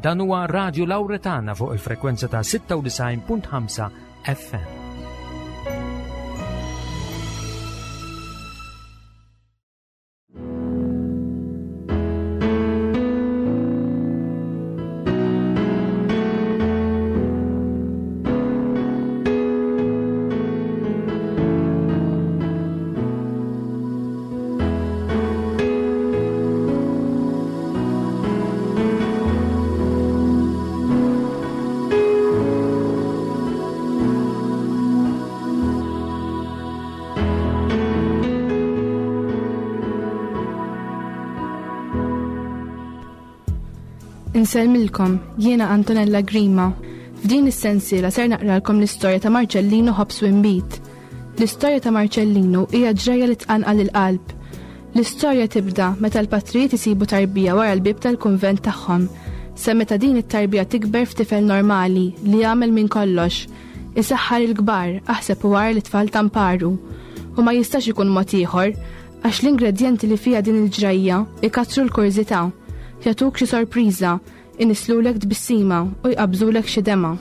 Dan huwa Radio Lauretana fuq il-frekwenza ta' 96.5 FM. Insellmilkom, jiena Antonella Grima. F'din is-sensiela ser naqralkom l-istorja ta' Marcellino Hobbs Wimbit. L-istorja ta' Marcellino hija ġrajja li tqanqal il-qalb. L-istorja tibda meta l-patrijiet isibu tarbija wara l-bieb tal-kunvent tagħhom, sa meta din it-tarbija tikber f'tifel normali li jagħmel minn kollox, isaħħar il-kbar, aħseb u agħar lit-tfal ta' mparu. U ma jistax ikun mod ieħor, għax l-ingredjenti li fiha din il-ġrajja ikattru l-kurżità, jagħtuk xi sorpriża, Inislulek tbissima u jqabbżulek xi demgħa.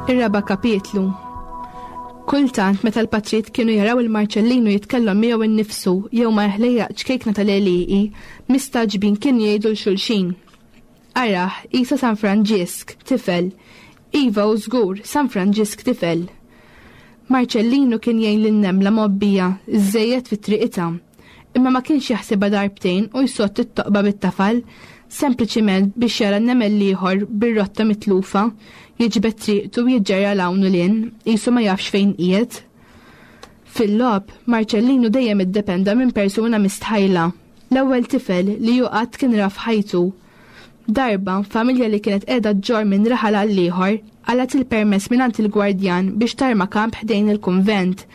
Ir-raba' kapitlu Kultant meta l-patrijiet kienu jaraw il-Marċellinu jitkellem miegħu nnifsu jew ma' ħlejjaq ċkejkna tal-għelieqi, mistagħġbin kienu jgħidu 'l xulxin, Arah, qisha San Franġisk, tifel. Iva hu żgur, San Franġisk tifel. Marċellinu kien jgħin lin-nemla mgħobbija żżejjed fi triqitha. Imma ma kienx jaħsibha darbtejn u jsodd it-toqba bit-tafal, sempliċiment biex jara n-nemel l-ieħor bir-rotta mitlufa, jiġbed triqtu u jiġġerra 'l hawn u 'l hinn, qisu ma jafx fejn qiegħed. Fil-logħob, Marċellinu dejjem iddependa minn persuna mistħajla, l-ewwel tifel li hu qatt kien ra f'ħajtu. Darba, familja li kienet qiegħda ġġorr minn raħal għal ieħor qalgħet il-permess mingħand il-gwardjan biex tarma kamp ħdejn il-kunvent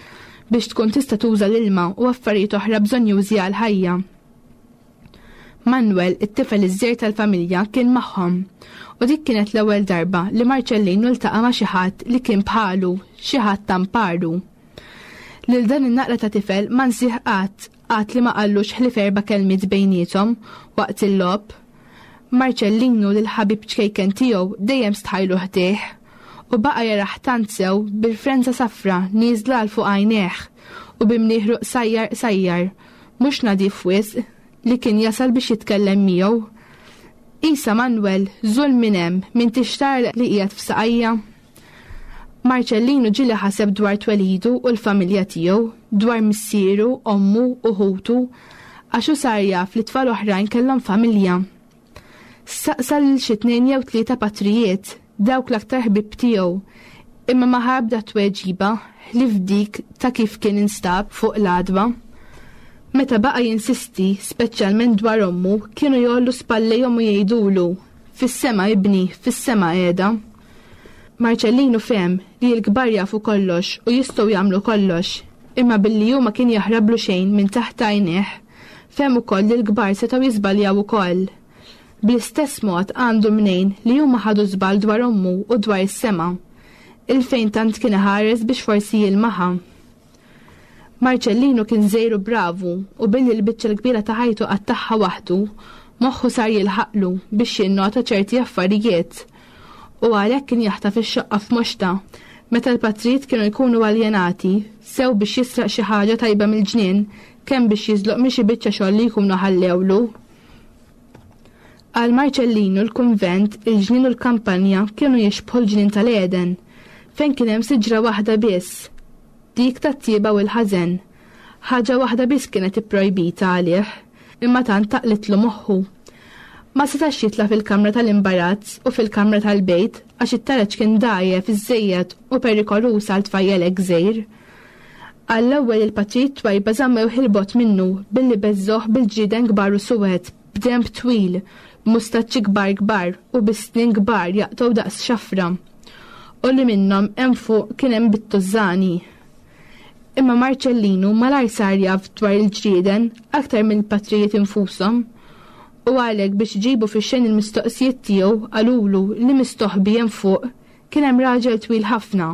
biex tkun tista' tuża l-ilma u affarijiet oħra bżonnjużi għall-ħajja. Manuel, it-tifel iż-żgħir tal-familja, kien magħhom. U dik kienet l-ewwel darba li Marċellinu ltaqa' ma' xi ħadd li kien bħalu, xi ħadd ta' mparu. Lil dan in-naqra ta' tifel ma nsih qatt, qatt li ma qallux ħlief erba' kelmiet bejniethom waqt il-logħob. Marċellinu lill-ħabib ċkejken tiegħu dejjem stħajlu ħdejh u baqa' jarah tant sew bil-frenza safra nieżla għal fuq għajnejh u bi mnieħru qsajjar qsajjar, mhux nadif wisq, li kien jasal biex jitkellem miegħu. Isa Manwel, żul minn hemm, m'intix tara li qiegħed f'saqajja? Marċellinu ġieli ħaseb dwar twelidu u l-familja tiegħu, dwar missieru, ommu u ħutu, għax hu sar jaf li tfal oħrajn kellhom familja. Saqsa lil xi tnejn jew tlieta patrijiet, dawk l-aktar ħbieb tiegħu, imma ma ħa ebda tweġiba ħlief dik ta' kif kien instab fuq l-għadba. Meta baqa' jinsisti, speċjalment dwar ommu, kienu jgħollu spallejhom u jgħidulu, Fis-sema ibni, fis-sema qiegħda. Marċellinu fehem li l-kbar jafu kollox u jistgħu jagħmlu kollox, imma billi hu ma kien jaħrablu xejn minn taħt għajnejh, fehem ukoll li l-kbar setgħu jiżbaljaw ukoll. Bl-istess mod għandu mnejn li huma ħadu żball dwar ommu u dwar is-sema, 'il fejn tant kien iħares biex forsi jilmaħha. Marċellinu kien żgħir u bravu u billi l-biċċa l-kbira ta' ħajtu qattagħha waħdu, moħħu sar jilħaqlu biex jinnota ċerti affarijiet. U għalhekk kien jaħtaf ix-xoqqa f'moxtha meta l-patrijiet kienu jkunu aljenati, sew biex jisraq xi ħaġa tajba mill-ġnien, kemm biex jiżloq minn xi biċċa xogħol li jkunu ħallewlu. Għal Marċellinu l-kunvent, il-ġnien u l-kampanja kienu jixbħu l-ġnien tal-Għeden, fejn kien hemm siġra waħda biss, dik tat-tjieba u l-ħażen. Ħaġa waħda biss kienet ipprojbita għalih, imma tant taqlitlu moħħu. Ma setax jitla' fil-kamra tal-imbarazz u fil-kamra tal-bejt għax it-taraġ kien dgħajjef iżżejjed u perikoluż għal tfajjel hekk żgħir. Għall-ewwel il-patrijiet twajba żammewh 'il bogħod minnu billi beżżgħuh bil-ġrieden kbar u suwed, b'denb twil, b'mustaċċi kbar kbar u bi snien kbar jaqtgħu daqs xafra. U li minnhom hemm fuq kien hemm bit-tużżani. Imma Marċellinu malajr sar jaf dwar il-ġrieden aktar mill-patrijiet infushom. U għalhekk biex iġibu fix-xejn il-mistoqsijiet tiegħu qalulu li mistoħbi hemm fuq kien hemm raġel twil ħafna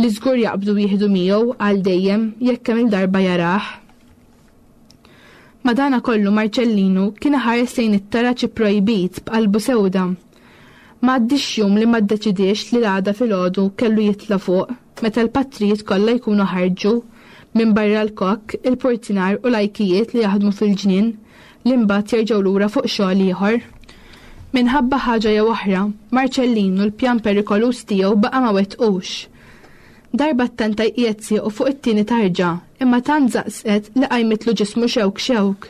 li żgur jaqbdu jieħdu miegħu għal dejjem jekk kemm il-darba jarah. Madanakollu Marċellinu kien iħares lejn it-taraġ ipprojbit b'qalbu sewda. Ma għaddiex jum li ma ddeċidiex li l-għada filgħodu kellu jitla' fuq meta l-patrijiet kollha jkunu ħarġu, minbarra l-kokk, il-purtinar u l-ajkijiet li jaħdmu fil-ġnien, li mbagħad jerġgħu lura fuq xogħol ieħor. Minħabba ħaġa jew oħra, Marċellinu l-pjan perikoluż tiegħu baqa' ma wettqux. Darba ttenta jqiegħed siequ fuq it-tieni tarġa, imma tant żaqżqet li qajmitlu ġismu xewk xewk.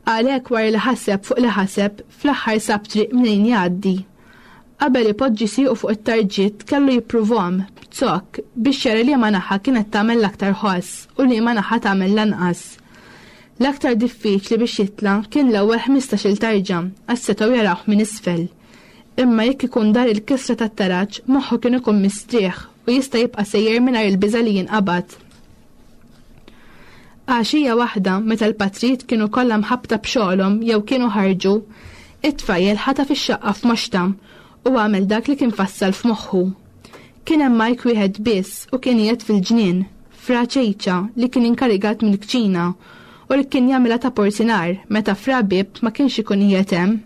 Għalhekk wara li ħaseb fuq li ħaseb, fl-aħħar sab triq mnejn jgħaddi. Qabel ipoġġi siequ fuq it-tarġiet kellu jippruvhom, b'zokk, biex jara liema naħa kienet tagħmel l-aktar ħoss u liema naħa tagħmel l-anqas. L-aktar diffiċli biex jitla' kien l-ewwel ħmistax-il tarġa għax setgħu jarawh minn isfel. Imma jekk ikun dar il-kisra tat-taraġ, moħħu kien ikun mistrieħ u jista' jibqa' sejjer mingħajr il-biża' li jinqabad. Għaxija waħda, meta l-patrijiet kienu kollha mħabbta b'xogħolhom jew kienu ħarġu, it-tfajjel ħataf ix-xaqqa f'moxtha u għamel dak li kien fassal f'moħħu. Kien hemm Mike wieħed biss u kien qiegħed fil-ġnien, Fra Ċejċa li kien inkarigat mill-kċina u li kien jagħmilha ta' portinar meta Fra Bieb ma kienx ikun qiegħed hemm.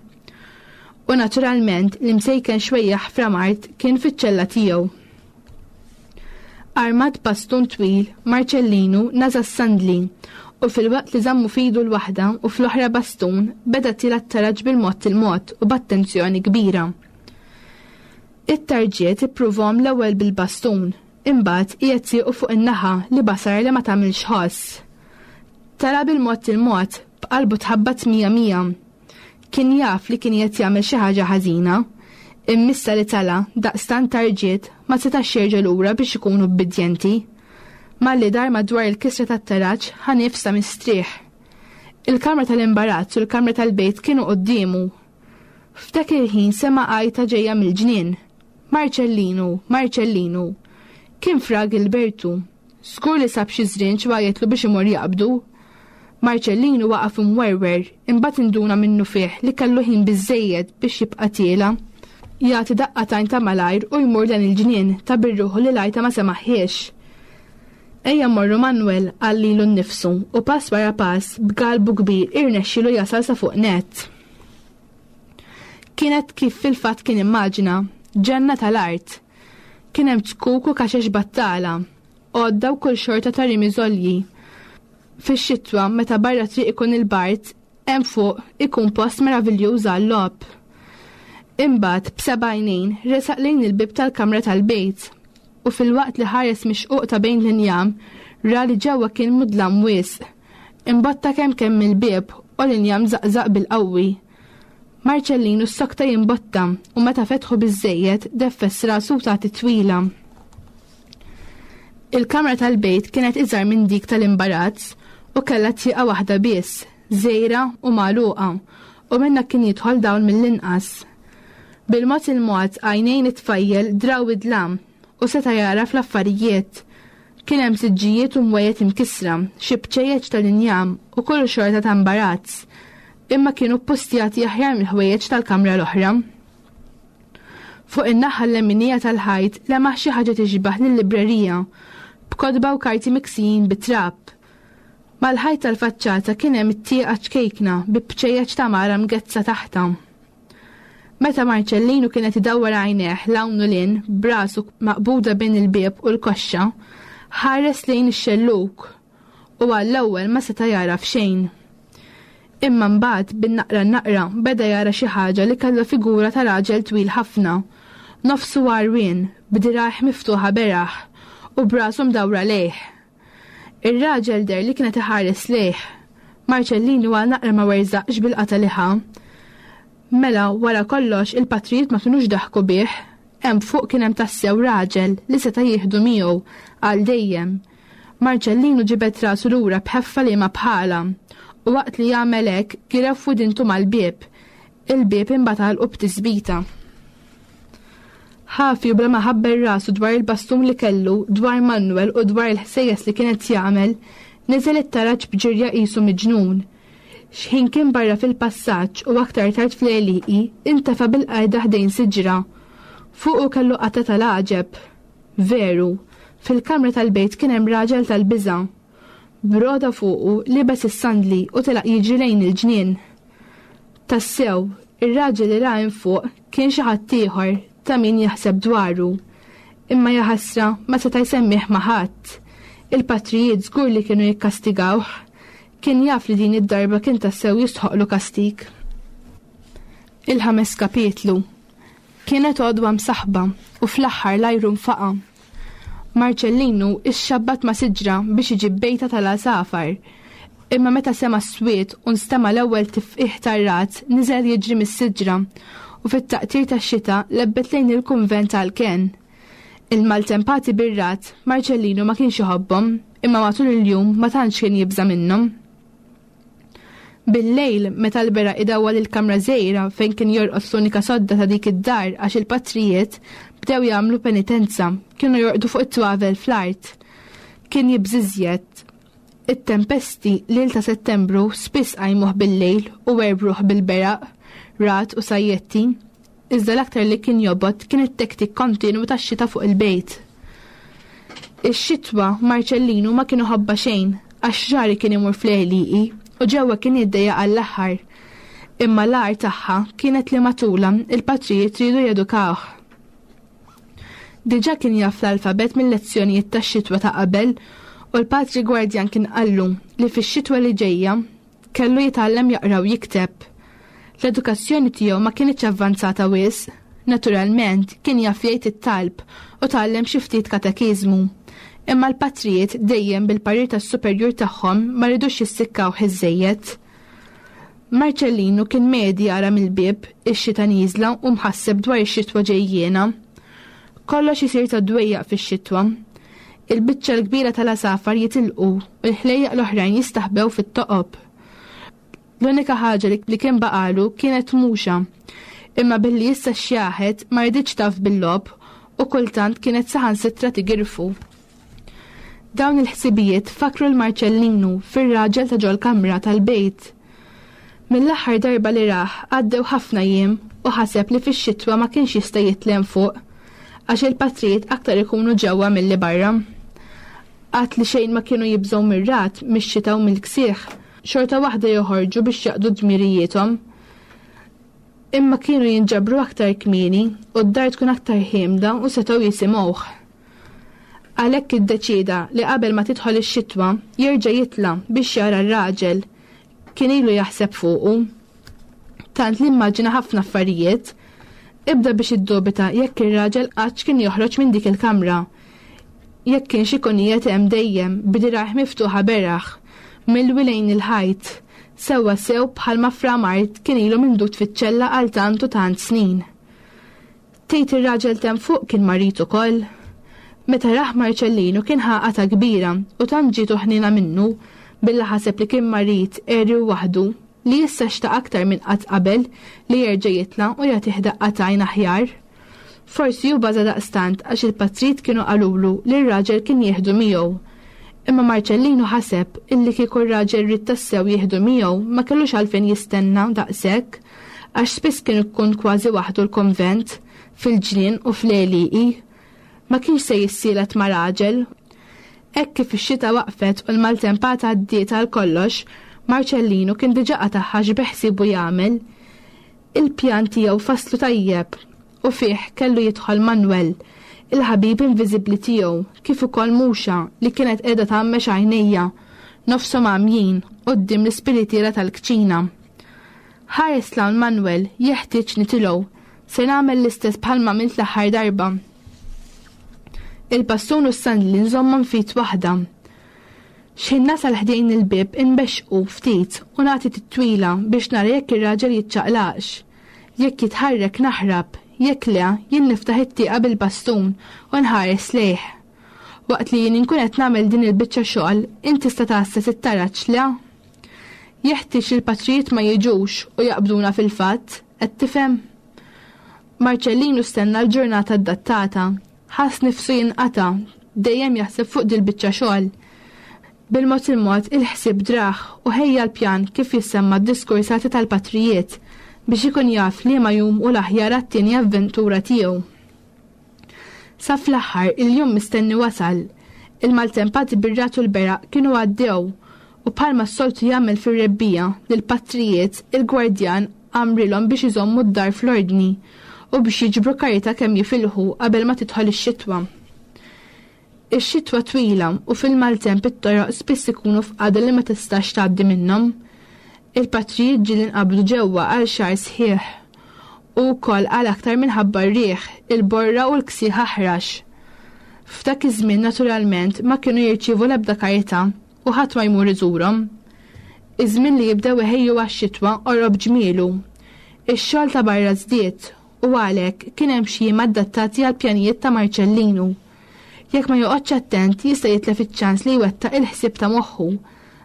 U naturalment l-imsejken xwejjaħ Fra Mart kien fiċ-ċella tiegħu. Armat b'bastun twil, Marċellinu naża' s-sandli u filwaqt li żammu f'idu l-waħda u fl-oħra bastun, beda tiela' t-taraġ bil-mod il-mod u b'attenzjoni kbira. It-tarġiet ippruvhom l-ewwel bil-bastun, imbagħad qiegħed siequ fuq in-naħa li basar li ma tagħmilx ħoss. Tela' bil-mod il-mod, b'qalbu tħabbat mija mija. Kien jaf li kien qed jagħmel xi ħaġa ħażina. Immissa li tala' daqstant tarġiet ma setax jerġa' lura biex ikun ubbidjenti. Malli dar madwar il-kisra tat-taraġ ħa nifs ta' mistrieħ. Il-kamra tal-imbarazz u l-kamra tal-bejt kienu quddiemu. F'dak il-ħin sema' għajta ġejja mill-ġnien. Marċellinu, Marċellinu! Kien Fra Gilbertu. Żgur li sab xi żrinġ u għajjatlu biex imur jaqbdu. Marċellinu waqaf imwerwer, imbagħad induna minnufih li kellu ħin biżżejjed biex jibqa' tiela'. Jagħti daqqa t'għajn ta' malajr u jmur lejn il-ġnien, ta' bir-ruħu li l-għajta ma semagħhiex. Ejja mmorru Manwel, qal lilu nnifsu, u pass wara pass, b'galbu kbir irnexxielu jasal sa fuq nett. Kienet kif fil-fatt kien immaġina, ġenna tal-art. Kien hemm zkuk u kaxex battala, għodda u kull xorta ta' rimi żolji. Fix-xitwa, meta barra triq ikun il-bard, hemm fuq ikun post meraviljuż għal-logħob. Imbagħad, b'seba' għajnejn, resaq lejn il-bieb tal-kamra tal-bejt u filwaqt li ħares mix-xquq ta' bejn l-injam, ra li ġewwa kien mudlam wisq. Imbotta kemm kemm mill-bieb u l-injam żaqżaq bil-qawwi. Marċellinu ssokta jimbotta u meta fetħu biżżejjed deffes rasu u ta titwila. Il-kamra tal-bejt kienet iżgħar minn dik tal-imbarazz u kellha tieqa waħda biss, żgħira u magħluqa, u minnha kien jidħol dawl mill-inqas. Bil-mod il-mod għajnejn it-tfajjel draw id-dlam u seta' jagħraf l-affarijiet. Kien hemm siġġijiet u mwejjed imkissra, xi bċejjeċ tal-injam u kull xorta ta' imbarazz, imma kienu ppustjati aħjar mill-ħwejjeġ tal-kamra l-oħra. Fuq in-naħa l-leminija tal-ħajt lemaħ xi ħaġa tixbah lil librerija, b'kotba u karti miksijin bit-trab. Mal-ħajt tal-faċċata kien hemm it-tieqa ċkejkna bi bċejjeċ ta' mara mgezzha taħtha. Meta Marċellinu kien qed idawwar għajnejh 'l hawn u 'l hinn b'rasu maqbuda bejn il-bieb u l-koxxa, ħares lejn ix-xellug u għall-ewwel ma seta' jagħraf xejn. Imma mbagħad bin-naqra n-naqra beda jara xi ħaġa li kellha figura ta' raġel twil ħafna, nofsu għarwien, b'dirgħajh miftuħa beraħ u b'rasu mdawra lejh. Ir-raġel deher li kien qed iħares lejh. Marċellinu għal naqra ma werżaqx bil-qatgħa li ħa. Mela, wara kollox, il-patrijiet ma kinux daħku bih. Hemm fuq kien hemm tassew raġel li seta' jieħdu miegħu għal dejjem. Marċellinu ġibed rasu lura b'ħeffa liema bħalha, u waqt li għamel hekk girew f'widintu mal-bieb. Il-bieb imbagħad għalqu b'tisbita. Ħafi u bla ma ħabber rasu dwar il-bastun li kellu, dwar Manuel u dwar il-ħsejjes li kien qed jagħmel, niżel it-taraġ b'ġirja qisu miġnun. X'ħin kien barra fil-passaġġ u aktar tard fl-għelieqi, intefa' bil-qajda ħdejn siġra. Fuqu kellu qatgħa tal-għaġeb. Veru, fil-kamra tal-bejt kien hemm raġel tal-biża'. B'roda fuqu, libes is-sandli u telaq jiġri lejn il-ġnien. Tassew, ir-raġel li ra hemm fuq kien xi ħadd ieħor ta' min jaħseb dwaru. Imma jaħasra ma seta' jsemmih ma' ħadd. Il-patrijiet żgur li kienu jikkastigawh. Kien jaf li din id-darba kien tassew jistħoqqlu kastig. Il-ħames kapitlu. Kienet għodwa msaħħba u fl-aħħar l-ajru nfaqa'. Marċellinu ixxabbat ma' siġra biex iġib bejta tal-għasafar. Imma meta sema' s-swiet u nstema' l-ewwel tifqigħ tar-ragħad niżel jiġri mis-siġra u fit-taqtir tax-xita lebbet lejn il-kunvent għall-kenn. Il-maltempati bir-ragħad Marċellinu ma kienx iħobbhom imma matul il-jum ma tantx kien jibża' minnhom. Bil-lejl, meta l-beraq idawwal il-kamra żgħira fejn kien jorqod fl-unika sodda ta' dik id-dar għax il-patrijiet bdew jagħmlu penitenza, kienu jorqdu fuq it-twavel fl-art. Kien jibżiżjed. It-tempesti lejl ta' Settembru spiss qajmuh bil-lejl u werbruh bil-beraq, ragħad u sajjetti. Iżda l-aktar li kien jobgħod kien it-tektik kontinwu tax-xita fuq il-bejt. Ix-xitwa Marċellinu ma kien iħobbha xejn għax rari kien imur fl-għelieqi u ġewwa kien jiddejjaq għall-aħħar. Imma l-agħar tagħha kienet li matulha il-patrijiet riedu jedukawh. Diġà kien jaf l-alfabet mil-lezzjonijiet tax-xitwa ta' qabel u l-patri gwardjan kien qallu li fix-xitwa li ġejja Kellu jitgħallem jaqra u jikteb. L-edukazzjoni tiegħu ma kinitx avvanzata wisq. Naturalment, kien jaf jgħid it-talb u tgħallem xi ftit katekiżmu. Imma l-patrijiet dejjem bil-parir tas-superjur tagħhom ma ridux jissikkawh iżżejjed. Marċellinu kien medi jara mill-bieb ix-xita nieżla u mħasseb dwar ix-xitwa ġejjiena. Kollox isir ta' dwejjaq fix-xitwa. Il-biċċa l-kbira tal-għasafar jitilqu u l-ħlejjaq l-oħrajn jistaħbew fit-toqob. L-unika ħaġa li kien baqagħlu kienet muxa. Imma billi issa xjaħet ma riditx taf bil-logħob u kultant kienet saħansitra tigirfu. Dawn il-ħsibijiet fakkru 'l Marċellinu fir-raġel ta' ġol-kamra tal-bejt. Mill-aħħar darba li rah għaddew ħafna jiem u ħaseb li fix-xitwa ma kienx jista' jitlem fuq għax il-patrijiet aktar ikunu ġewwa milli barra. Għad li xejn ma kienu jibżgħu mir-ragħad, mix-xita u mill-ksieħ, xorta waħda joħorġu biex jaqdu dmirijiethom. Imma kienu jinġabru aktar kmieni u d-dar tkun aktar ħiemda u setgħu jisimgħuh. Għalhekk iddeċieda li qabel ma tidħol ix-xitwa jerġa' jitla' biex jara r-raġel. Kien ilu jaħseb fuqu. Tant li immaġina ħafna affarijiet. Ibda biex iddubita jekk ir-raġel qattx kien joħroġ minn dik il-kamra. Jekk kienx ikun qiegħed hemm dejjem b'dirgħajh miftuħa beraħ, milwi lejn il-ħajt, sewwa sew bħalma Fra Mart kien ilu mindud fiċ-ċella għal tant u tant snin. Tgħid ir-raġel t'hemm fuq kien marid ukoll? Meta rah Marċellinu kien ħa qatgħa kbira u tant ġietu ħniena minnu, billi ħaseb li kien marid, għeri u waħdu, li issa xtaq aktar minn qatt qabel li jerġa' jitla' u jagħtih daqqa t'għajn aħjar. Forsi hu baża' daqstant għax il-patrijiet kienu qalulu li r-raġel kien jieħdu miegħu. Imma Marċellinu ħaseb illi kieku r-raġel ried tassew jieħdu miegħu ma kellux għalfejn jistenna daqshekk għax spiss kien ikun kważi waħdu l-konvent, fil-ġnien u fl-għelieqi. Ma kienx se jissielet ma' raġel. Hekk kif ix-xita waqfet u l-maltempata għaddiet għal kollox, Marċellinu kien diġà qatagħha x'beħsiebu jagħmel. Il-pjan tiegħu fasslu tajjeb u fih kellu jidħol Manwel, il-ħabib inviżibbli tiegħu, kif ukoll Muxa li kienet qiegħda tgħammex għajnejha, nofshom għamjin, quddiem l-ispiritiera tal-kċina. Ħares 'l hawn Manwel, jeħtieġ nitilgħu. Se nagħmel l-istess bħalma għamilt l-aħħar darba. Il-bastun u s-sandli nżommhom f'id waħda. X'ħin nasal ħdejn il-bieb inbexxqu ftit u nagħti titwila biex nara jekk ir-raġel jiċċaqlaqx. Jekk jitħarrek naħrab, jekk le, jien niftaħ it-tieqa bil-bastun u nħares lejh. Waqt li jien inkun qed nagħmel din il-biċċa xogħol, int tista' tgħasses it-taraġ, le? Jeħtieġ li l-patrijiet ma jiġux u jaqbduna fil-fatt, qed tifhem? Marċellinu stenna l-ġurnata adattata, ħass nifsu jinqata', dejjem jaħseb fuq dil-biċċa xogħol. Bil-mod il-mod il-ħsieb drah u ħejja l-pjan kif jissemma d-diskursati tal-patrijiet biex ikun jaf liema jum hu l-aħjar għat-tieni avventura tiegħu. Sa fl-aħħar il-jum mistenni wasal. Il-maltempati bir-ragħad u l-beraq kienu għaddew u bħalma s-soltu jagħmel fir-rebbiegħa lill-patrijiet il-gwardjan amrilhom biex iżommu d-dar fl-ordni u biex jiġbru karità kemm jifilħu qabel ma tidħol ix-xitwa. Ix-xitwa twila u fil-maltemp it-toroq spiss ikunu f'qagħda li ma tistax tgħaddi minnhom. Il-patrijiet ġieli nqabdu ġewwa għal xahar sħiħ u wkoll għal aktar minħabba r-riħ, il-borra u l-ksieħ aħrax. F'dak iż-żmien naturalment ma kienu jirċievu l-ebda karità u ħadd ma jmur iżurhom. Iż-żmien li jibdew iħejju għax-xitwa qorob ġmielu. Ix-xogħol ta' barra żdied u għalhekk kien hemm xi jiem adattati għall-pjanijiet ta' Marċellinu. Jekk ma joqgħodx attent jista' jitlef iċ-ċans li jwettaq il-ħsieb ta' moħħu,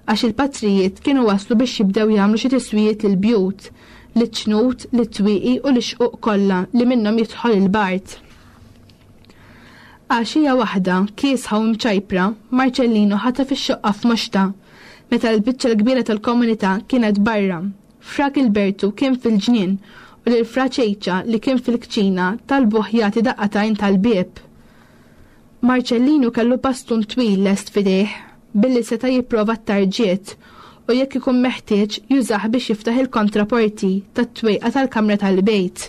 għax il-patrijiet kienu waslu biex jibdew jagħmlu xi tiswijiet lill-bjut, liċ-ċnut, lit-twieqi u lix-xquq kollha li minnhom jidħol il-bard. Għaxija waħda, kiesħa u mċajpra, Marċellinu ħataf ix-xoqqa f'moxtha, meta l-biċċa l-kbira tal-komunità kienet barra. Fra Gilbertu kien fil-ġnien u lil Fra Ċejċa li kien fil-kċina talbuh jagħti daqqa t'għajn tal-bieb. Marċellinu kellu bastun twil lest f'idejh billi seta' jipprova t-tarġiet u jekk ikun meħtieġ jużah biex jiftaħ il-kontraporti tat-twejqa tal-kamra tal-bejt.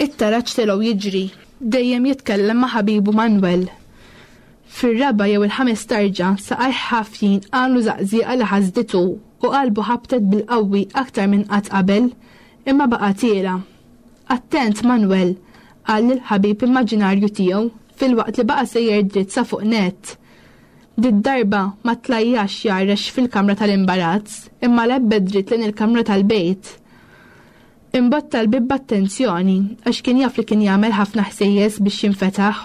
It-taraġ telgħu jiġri, dejjem jitkellem ma' ħabibu Manwel. Fir-raba' jew il-ħames tarġa, saqajh ħafjin għamlu żaqżieqa li ħasditu u qalbu ħabtet bil-qawwi aktar minn qatt qabel, imma baqa' tiela'. Attent, Manwel! qal lill-ħabib immaġinarju tiegħu filwaqt li baqa' sejjer dritt sa fuq nett. Did-darba ma tlajjax jgħarrex fil-kamra tal-imbarazz, imma lebbet dritt lejn il-kamra tal-bejt. Imbotta l-bieb b'attenzjoni għax kien jaf li kien jagħmel ħafna ħsejjes biex jinfetaħ.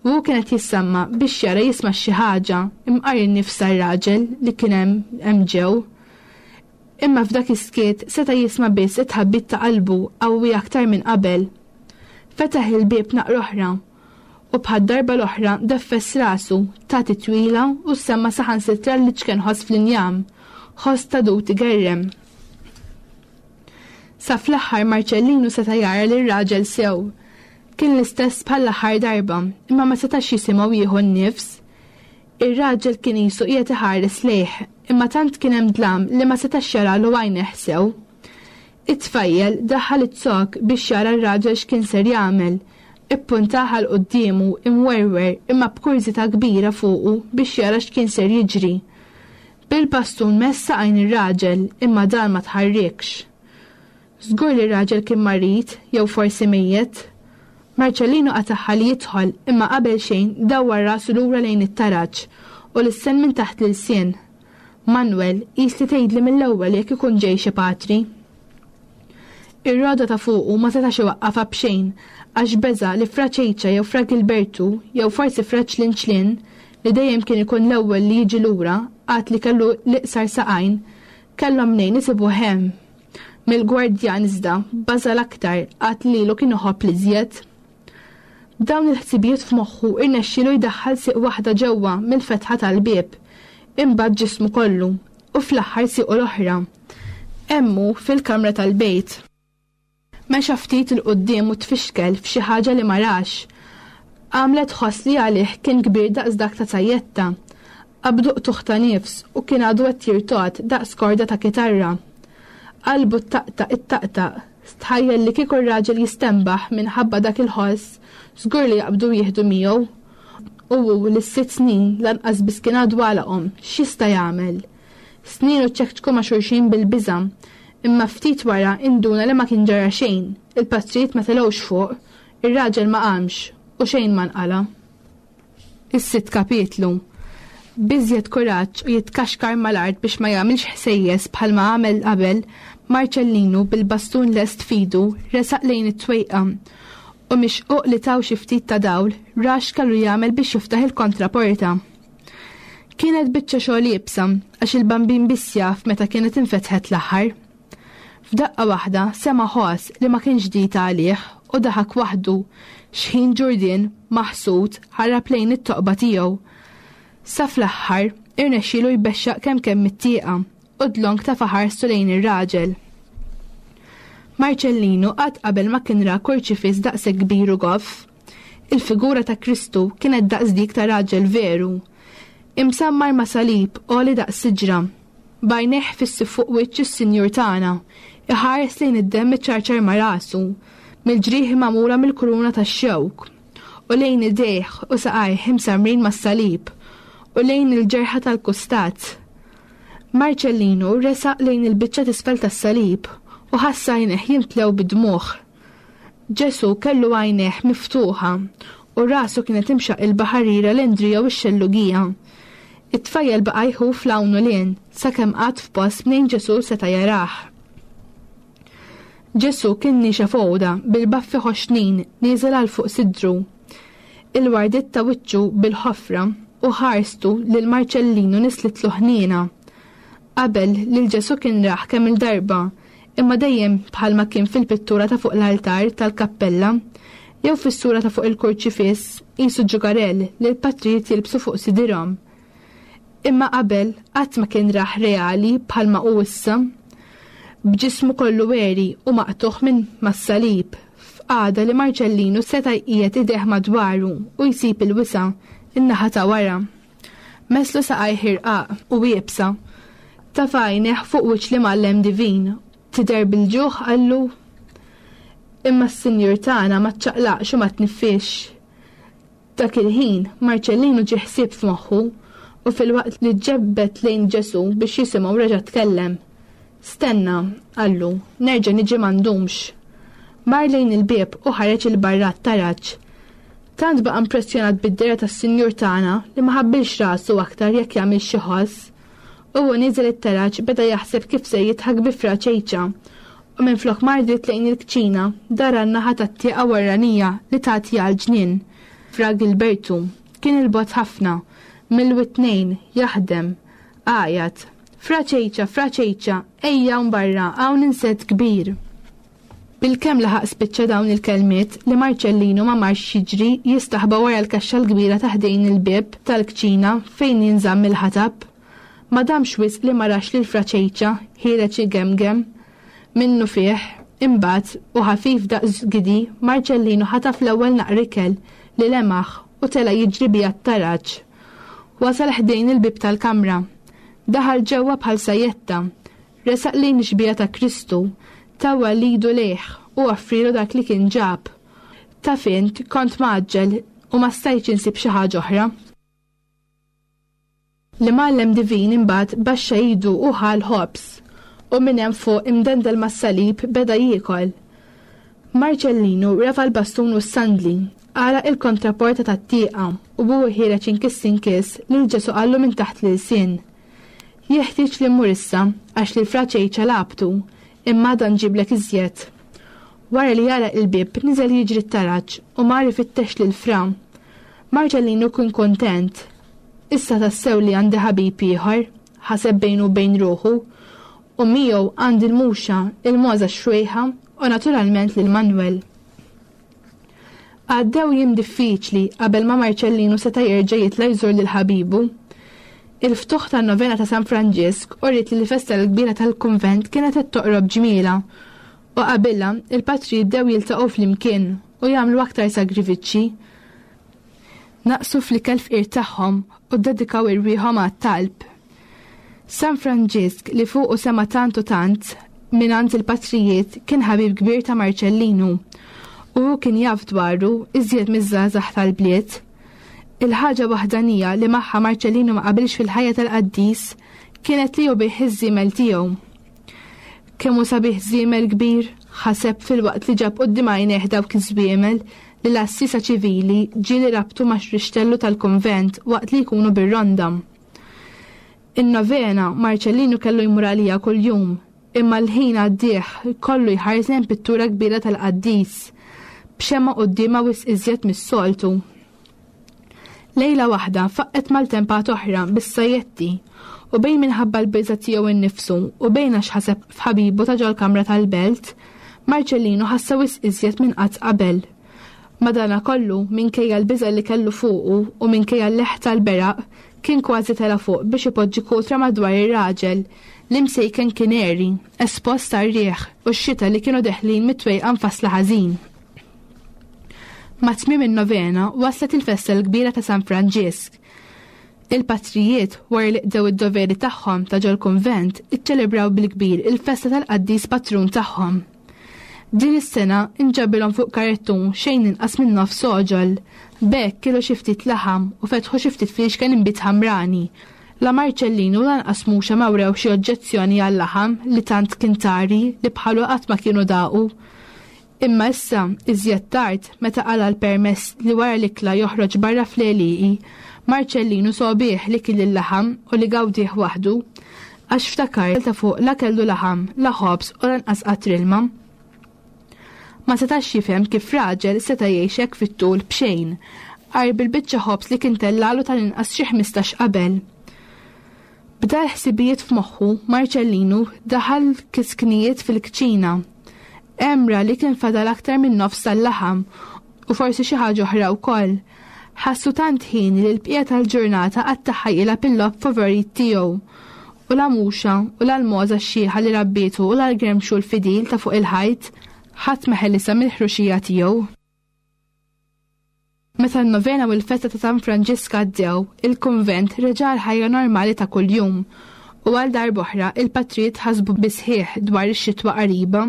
U hu kien qed jissamma biex jara jisma' xi ħaġa imqar in-nifs tar-raġel li kien hemm hemm ġew. Imma f'dak is-skiet seta' jisma' biss it-tħabbit ta' qalbu qawwi aktar minn qabel. Fetaħ il-bieb naqra oħra u bħad-darba l-oħra deffes rasu, ta titwila u semma' saħansitra l-iċken ħoss fl-injam, ħoss ta' dud igerrem. Sa fl-aħħar Marċellinu seta' jara lir-raġel sew. Kien l-istess bħall-aħħar darba, imma ma setax jisimgħu jieħu n-nifs. Ir-raġel kien qisu qiegħed iħares lejh, imma tant kien hemm dlam li ma setax jaralu għajnejh sew. It-tfajjel daħħal iz-zokk biex jara r-raġel x'kien ser jagħmel. Ippuntah għal quddiemu, imwerwer, imma b'kurżità kbira fuqu biex jara x'kien ser jiġri. Bil-bastun mess saqajn ir-raġel, imma dan ma tħarrikx. Żgur li r-raġel kien marid, jew forsi mejjet. Marcellino qatagħha li jidħol, imma qabel xejn dawwar rasu lura lejn it-taraġ u lissen minn taħt l-ilsien. Manwel, qis li tgħidli mill-ewwel jekk ikun ġej xi patri. Ir-roda ta' fuqu ma setax iwaqqafha b'xejn għax beża' li Fra Ċejċa jew Fra Gilbertu jew forsi Fra Ċlinċlin, li dejjem kien ikun l-ewwel li jiġi lura għad li kellu l-iqsar saqajn, kellhom mnejn isibuh hemm. Mill-gwardjan iżda baża' l-aktar għad li lilu kien iħobb l-iżjed. B'dawn il-ħsibijiet f'moħħu rnexxielu jdaħħal sieq waħda ġewwa mill-fetħa tal-bieb, imbagħad ġismu kollu, u fl-aħħar siequ l-oħra. Hemm hu fil-kamra tal-bejt. Mexa ftit 'il quddiem u tfixkel f'xi ħaġa li ma rax. Għamlet ħoss li għalih kien kbir daqs dak ta' sajjetta. Qabdu qtugħ ta' nifs u kien għadu qed jirtogħod daqs korda ta' kitarra. Qalbu ttaqtaq ittaqtaq. Stħajjel li kieku r-raġel jistenbaħ minħabba dak il-ħoss, żgur li jaqbdu u jieħdu miegħu. U hu li s-sitt snin lanqas biss kien għadu għalaqhom, x'jista' jagħmel? Snienu ċekċku ma' xulxin bil-biża'. Imma ftit wara induna li ma kien ġara xejn, il-patrijiet ma telgħux fuq, ir-raġel ma qamx, u xejn ma nqala'. Is-sitt kapitlu. B'iżjed kuraġġ u jitkaxkar mal-art biex ma jagħmilx ħsejjes bħalma għamel qabel, Marċellinu bil-bastun lest f'idu resaq lejn it-twejqa u mix-xquq li taw xi ftit ta' dawl ra x'kellu jagħmel biex jiftaħ il-kontraporta. Kienet biċċa xogħol iebsa għax il-Bambin biss jaf meta kienet infetħet l-aħħar. F'daqqa waħda sema' ħoss li ma kienx ġdid għalih. u daħak waħdu x'ħin Ġurdien, maħsud, ħarab lejn it-toqba tiegħu. Sa fl-aħħar, irnexxielu jbexxaq kemm kemm mit-tieqa u dlonk tafa' ħarstu lejn ir-raġel. Marċellinu qatt qabel ma kien ra kurċifiss daqshekk kbir u goff. Il-figura ta' Kristu kienet daqs dik ta' raġel veru. Imsammar ma' salib għoli daqs siġra. B'għajnejh fissi fuq wiċċ is-Sinjur tagħna, iħares lejn id-demm iċarċar ma' rasu, mill-ġrieħi magħmula mill-kuruna tax-xewk, u lejn idejh u saqajh imsammrin mas-salib, u lejn il-ġerħa tal-kustat. Marċellinu resaq lejn il-biċċa t'isfel tas-salib u ħass għajnejh jimtlew bid-dmugħ. Ġesù kellu għajnejh miftuħa u rasu kienet imxaqilba ħarira l-Indrija u x-xellugija. It-tfajjel baqa' jħuf 'l hawn u 'l hinn sakemm qagħad f'post mnejn Ġesù seta' jarah. Ġesù kien niexef għoda bil-baffi ħoxnin nieżel għal fuq sidru. Il-wardiet ta' wiċċu bil-ħofra u ħarstu lil Marċellinu nislitlu ħniena. Qabel, lil Ġesù kien rah kemm-il darba, imma dejjem bħalma kien fil-pittura ta' fuq l-altar tal-kappella, jew fis-sura ta' fuq il-kurċifiss qisu ġugarell li l-patrijiet jilbsu fuq sidirhom. Imma qabel qatt ma kien rah reali bħalma hu issa. B'ġismu kollu għeri u maqtugħ minn mas-salib, f'qagħda li Marċellinu seta' jqiegħed idejh madwaru u jsib il-wisa' in-naħa ta' wara. Messlu saqajh irqaq u iebsa. Tafa' għajnejh fuq wiċċ l-Imgħallem Divin. Tidher bil-ġuħ, qallu. Imma s-Sinjur tagħna ma ċċaqlaqx u ma tniffisx. Dak il-ħin, Marċellinu ġie ħsieb f'moħħu u filwaqt li ġġebbed lejn Ġesù biex jisimgħu reġa' tkellem. Stenna, qallu, nerġa' niġi ma ndumx. Mar lejn il-bieb u ħareġ 'il barra għat-taraġ. Tant baqa' impressjonat bid-dehra tas-Sinjur tagħna li ma ħabbilx rasu aktar jekk jagħmilx xi ħoss. U hu nieżel it-taraġ beda jaħseb kif ser jidħak bi Fra Ċejċa u minflok mar dritt lejn il-kċina, dar għan-naħa tat-tieqa warranija li tagħti għall-ġnien. Fra Gilbertu kien 'il bogħod ħafna, mill-witnejn, jaħdem. Għajat, Fra Ċejċa, Fra Ċejċa, ejja hawn barra, hawn insett kbir! Bilkemm laħaq spiċċa dawn il-kelmiet li Marċellinu ma marx jiġri jistaħba wara l-kaxxa l-kbira ta' ħdejn il-bieb tal-kċina fejn jinżamm il-ħatab. Ma damx wisq li ma rax lil Fra Ċejċa ħiereġ igemgem. Minnufih, imbagħad, u ħafif daqs gidi, Marċellinu ħataf l-ewwel naqra ikel li lemaħ u tela' jiġri biha t-taraġ. Wasal ħdejn il-bieb tal-kamra. Daħal ġewwa bħal sajjetta. Resaq lejn ix-xbieha ta' Kristu, tawwal idu lejh u offrielu dak li kien ġab. Taf int, kont mgħaġġel u ma stajtx insib xi ħaġa oħra. L-Imgħallem Divin imbagħad baxxa idu u ħa l-ħobż, u minn hemm fuq imdendel mas-salib beda jiekol. Marċellinu refa' l-bastun u s-sandli, għalaq il-kontraporta tat-tieqa u hu ħiereġ inkiss inkiss lil Ġesù qallu minn taħt l-ilsien, Jeħtieġ li mmur issa, għax lil Fra Ċejċa lagħabtu, imma għada nġiblek iżjed. Wara li għalaq il-bieb, niżel jiġri t-taraġ u mar ifittex lil Fra. Marċellinu kien kuntent. Issa tassew li għandi ħabib ieħor, ħaseb bejnu u bejn ruħu, u miegħu għandi l-muxa, il-mogħża x-xwejħa u naturalment lil Manwel. Għaddew jiem diffiċli qabel ma Marċellinu seta' jerġa' jitla' jżur lil ħabibu. Il-ftuħ tan-novena ta' San Franġisk uriet li l-festa l-kbira tal-kunvent kienet qed toqrob ġmielha u qabilha il-patrijiet bdew jiltaqgħu flimkien u jagħmlu aktar sagrifiċċji. Naqsu fl-ikel fqir tagħhom u ddedikaw irwieħhom għat-talb. San Franġisk li fuqu sema' tant u tant mingħand il-patrijiet kien ħabib kbir ta' Marċellinu u hu kien jaf dwaru iżjed miż-żgħażagħ tal-bliet. Il-ħaġa waħdanija li magħha Marċellinu ma qabilx fil-ħajja tal-qaddis kienet li hu biegħ iż-żiemel tiegħu. Kemm hu sabiħ żiemel kbir, ħaseb filwaqt li ġab quddiem għajnejh dawk iż-żwiemel li l-għassiesa ċivili ġieli rabtu ma' xrixtellu tal-kunvent waqt li jkunu bir-ronda. In-novena, Marċellinu kellu jmur għaliha kuljum, imma l-ħin għaddih kollu jħares lejn pittura kbira tal-qaddis, b'xemgħa quddiemha wisq iżjed mis-soltu. Lejla waħda faqqgħet maltempata oħra bis-sajjetti u bejn minħabba l-biża' tiegħu nnifsu u bejn għax ħaseb f'ħabibu ta' ġol-kamra tal-belt, Marċellinu ħassa wisq iżjed minn qatt qabel. Madanakollu, minkejja l-biża' li kellu fuqu u minkejja l-leħħ tal-beraq, kien kważi tela' fuq biex ipoġġi kutra madwar ir-raġel li msejken kien għeri, espost għar-riħ u x-xita li kienu deħlin mit-twejqa mfassla ħażin. Ma' tmiem in-novena waslet il-festa l-kbira ta' San Franġisk. Il-patrijiet, wara li qdew id-doveri tagħhom ta' ġol-kunvent, iċċelebraw bil-kbir il-festa tal-qaddis patrun tagħhom. Din is-sena nġabilhom fuq karettun xejn inqas minn nofs għoġol. B'hekk kielu xi ftit laħam u fetħu xi ftit fliexken inbid ħamrani. La Marċellin u lanqas Muxa ma wrew xi oġġezzjoni għal-laħam li tant kien tari li bħalu qatt ma kienu daqu. Imma issa, iżjed tard, meta qala' l-permess li wara l-ikla joħroġ barra fl-għelieqi, Marċellinu sogħbih li kiel il-laħam u li gawdieh waħdu, għax ftakar ta' fuq la kellu laħam, la ħobż u lanqas qatr ilma. Ma setax jifhem kif raġel seta' jgħix hekk fit-tul b'xejn, għajr bil-biċċa ħobż li kien tellagħlu tal-inqas xi 15 qabel. B'dal-ħsibijiet f'moħħu, Marċellinu daħal kisknijiet fil-kċina. Hemm ra li kien fadal aktar minn nofs tal-laħam u forsi xi ħaġa oħra wkoll. Ħassu tant ħin li l-bqija tal-ġurnata qattagħha jilgħab il-logħob favorit tiegħu. U la Muxa, u la l-mogħża x-xiħa li rabbietu u la l-gremxul fidil ta' fuq il-ħajt, ħadd ma ħelisha mill-ħruxija tiegħu. Meta n-novena u l-festa ta' San Franġisk għaddew, il-kunvent reġa' għall-ħajja normali ta' kuljum, u għal darb'oħra il-patrijiet ħasbu bis-sħiħ dwar ix-xitwa qariba.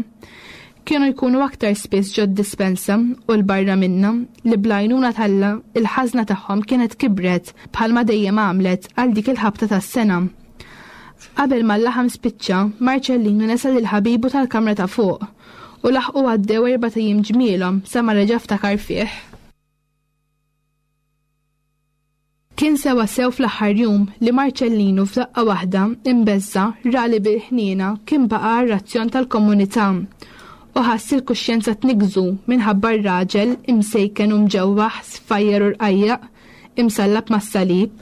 Kienu jkunu aktar spiss ġod-dispensa u 'l barra minnha, li bl-għajnuna t'Alla il-ħażna tagħhom kienet kibret bħalma dejjem għamlet għal dik il-ħabta tas-sena. Qabel ma l-laħam spiċċa, Marċellinu nesa lil ħabibu tal-kamra ta' fuq u laħqu għaddew erbat ijiem ġmielhom sa ma reġa' ftakar fih. Kien sewwasew fl-aħħar jum li Marċellinu f'daqqa waħda, imbeżża', ra li bil-ħniena kien baqa' għar-razzjon tal-komunità u ħass il-kuxjenza tniggżu minħabba r-raġel imsejken u mġewwaħ, sfajjar u rqajjaq, imsallab mas-salib.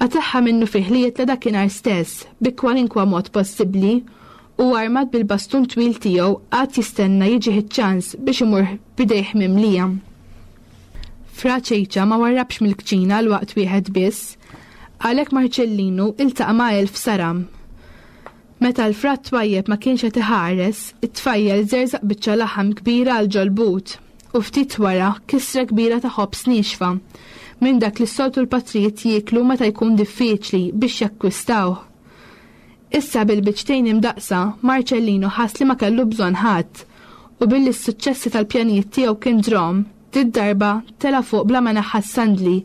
Qatagħha minnufih li jitla' dakinhar stess, bi kwalinkwa mod possibbli, u armat bil-bastun twil tiegħu qagħad jistenna jiġih iċ-ċans biex imur b'idejh mimlija. Fra Ċejċa ma warrabx mill-kċina għal waqt wieħed biss, għalhekk Marċellinu iltaqa' ma' elf saram. Meta l-fra twajjeb ma kienx qed iħares, it-tfajjel żerżaq biċċa laħam kbira għal ġol-but u ftit wara kisra kbira ta' ħobż niexfa, minn dak li s-soltu l-patrijiet jieklu meta jkun diffiċli biex jakkwistawh. Issa bil-biċċtejn imdaqqsa, Marċellino ħass li ma kellu bżonn ħadd, u billi s-suċċessi tal-pjanijiet tiegħu kien drom, did-darba tela' fuq bla ma neħħa s-sandli,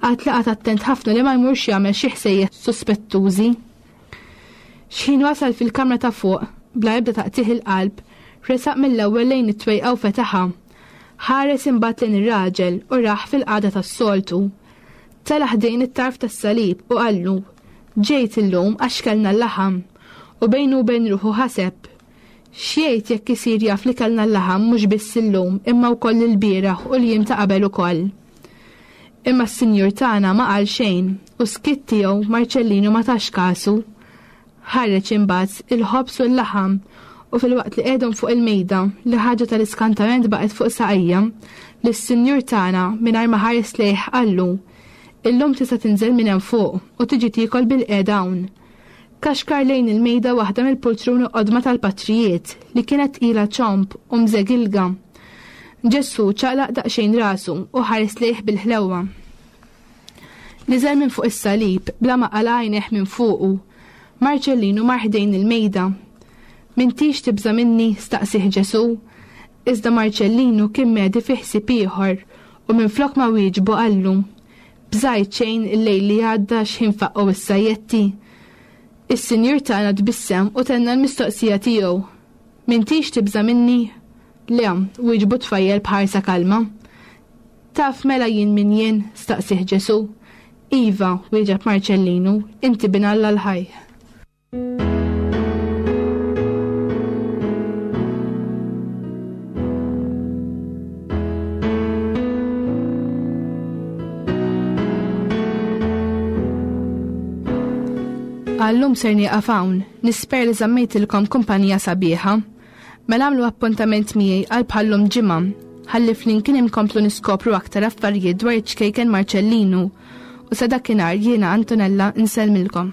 għad li qagħad attent ħafna li ma jmurx jagħmel xi ħsejjes suspettużi. X'ħin wasal fil-kamra ta' fuq, bla ebda taqtigħ il-qalb, resaq mill-ewwel lejn it-twejqa u fetaħha. Ħares imbagħad lejn ir-raġel u rah fil-qagħda tas-soltu. Tela' ħdejn it-tarf tas-salib u qallu, Ġejt illum għax kellna l-laħam. U bejnu u bejn ruħu ħaseb, X'jgħid jekk isir jaf li kellna l-laħam mhux biss illum imma wkoll ilbieraħ u l-jiem ta' qabel ukoll? Imma s-Sinjur tagħna ma qal xejn u s-skiet tiegħu Marċellinu ma tax kasu. Ħareġ imbagħad il-ħobż u l-laħam u filwaqt li qiegħdhom fuq il-mejda, li ħaġa tal-iskantament baqgħet fuq saqajja, lis-Sinjur tagħna mingħajr ma ħares lejh qallu, Illum tista' tinżel minn hemm fuq u tiġi tiekol bilqiegħda hawn. Kaxkar lejn il-mejda waħda mill-pultruni qodma tal-patrijiet li kienet tqila ċomb u mżegilga. Ġesù ċaqlaq daqsxejn rasu u ħares lejh bil-ħlewwa. Niżel minn fuq is-salib bla ma qala' għajnejh minn fuqu. Marċellinu mar ħdejn il-mejda. M'intix tibża' minni? staqsieh Ġesù. Iżda Marċellinu kien mehdi fi ħsieb ieħor u minflok ma wieġbu qallu, Bżajt xejn il-lejl li għadda x'ħin faqqgħu s-sajjetti? Is-Sinjur tagħna tbissem u tenna l-mistoqsija tiegħu, M'intix tibża' minni? Le, wieġbu t-tfajjel b'ħarsa kalma. Taf mela jien min jien? staqsieh Ġesù. Iva, wieġeb Marċellinu, inti Bin Alla l-ħaj. Għallum ser nieqaf hawn, nisper li żammejtilkom kumpanija sabiħa. Mela għamlu appuntament miegħi għal bħallum ġimgħa, ħalli flimkien inkomplu niskopru aktar affarijiet dwar iċ-ċkejken Marċellinu. U sa dakinhar jiena Antonella nsellmilkom.